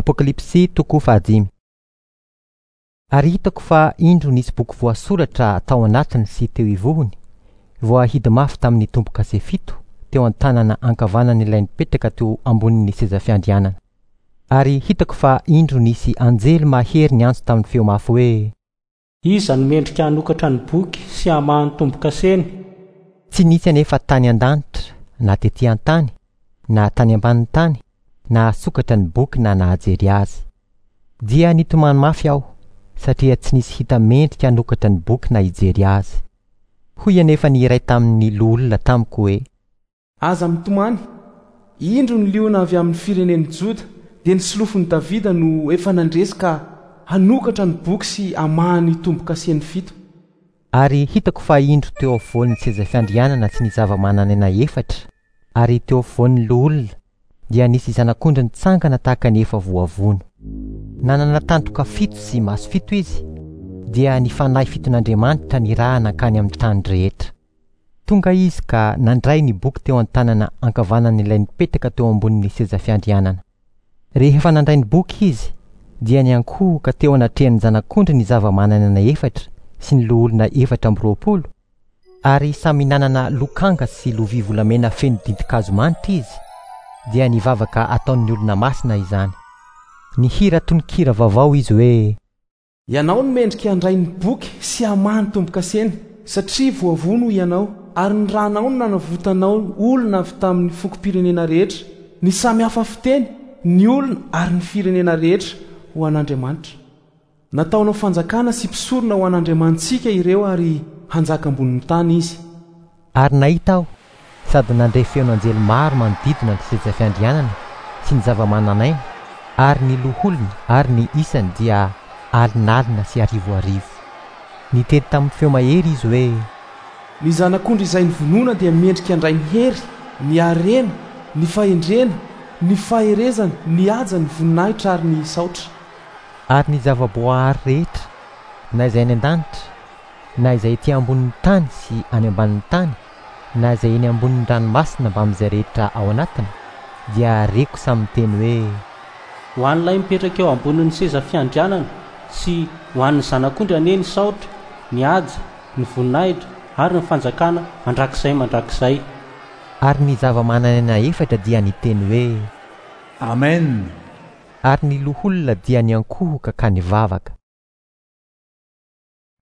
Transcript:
Apokalypsy toko fahadimy. Ary hitako fa indro nisy boky voasoratra tao anatiny sy teo ivohony, voahidy mafy tamin'ny tombo-kase fito teo an-tanana ankavanan'ilay nipetraka teo ambonin'ny seza fiandrianana. Ary hitako fa indro nisy anjely mahery niantso tamin'ny feo mafy hoe. Iza no mendrika hanokatra ny boky sy hamaha ny tombo-kaseny? Tsy nisy anefa tany an-danitra, na tetỳ an-tany, na tany ambanin'ny tany, nahasokatra ny boky na nahajery azy. Dia nitomany mafy aho, satria tsy nisy hita mendrika hanokatra ny boky na hijery azy. Hoy anefa ny iray tamin'ny loholona tamiko hoe. Aza mitomany. Indro ny liona avy amin'ny firenen'i Joda, dia ny solofon'i Davida no efa nandresy ka hanokatra ny boky sy hamaha ny tombo-kaseny fito. Ary hitako fa indro teo afovoan'ny seza fiandrianana sy ny zava-manan'aina efatra, ary teo afovoan'ny loholona, dia nisy zanak'ondry nitsangana tahaka ny efa voavono. Nanana tandroka fito sy maso fito izy, dia ny fanahy fiton'Andriamanitra nirahana hankany amin'ny tany rehetra. Tonga izy ka nandray ny boky teo an-tanana ankavanan'ilay nipetraka teo ambonin'ny seza fiandrianana. Rehefa nandray ny boky izy, dia niankohoka teo anatrehan'ny Zanak'ondry ny zava-manan'aina efatra sy ny loholona 24, ary samy nanana lokanga sy lovia volamena feno dintin-kazo manitra izy, dia nivavaka ataon'ny olona masina izany. Nihira tononkira vaovao izy hoe. Ianao no mendrika handray ny boky sy hamaha ny tombo-kaseny, satria voavono ianao, ary ny ranao no nanavotanao olona avy tamin'ny fokom-pirenena rehetra, ny samy hafa fiteny, ny olona ary ny firenena rehetra, ho an'Andriamanitra. Nataonao fanjakana sy mpisorona ho an'Andriamanitsika ireo ary hanjaka ambonin'ny tany izy. Ary nahita aho, sady nandre feon'anjely maro manodidina ny seza fiandrianana sy ny zava-manan'aina ary ny loholona ary ny isany dia alinalina sy arivoarivo. Niteny tamin'ny feo mahery izy hoe. Ny Zanak'ondry izay novonoina dia mendrika handray ny hery, ny harena, ny fahendrena, ny faherezana, ny haja, ny voninahitra ary ny saotra. Ary ny zava-boahary rehetra, na izay any an-danitra, na izay ety ambonin'ny tany sy any ambanin'ny tany, na izay eny ambonin'ny ranomasina mbamin'izay rehetra ao anatiny, dia reko samy miteny hoe. Ho an'ilay mipetraka eo ambonin'ny seza fiandrianana sy ho an'ny Zanak'ondry anie ny saotra, ny haja, ny voninahitra ary ny fanjakana mandrakizay mandrakizay. Ary ny zava-manan'aina efatra dia niteny hoe. Amen! Ary ny loholona dia niankohoka ka nivavaka.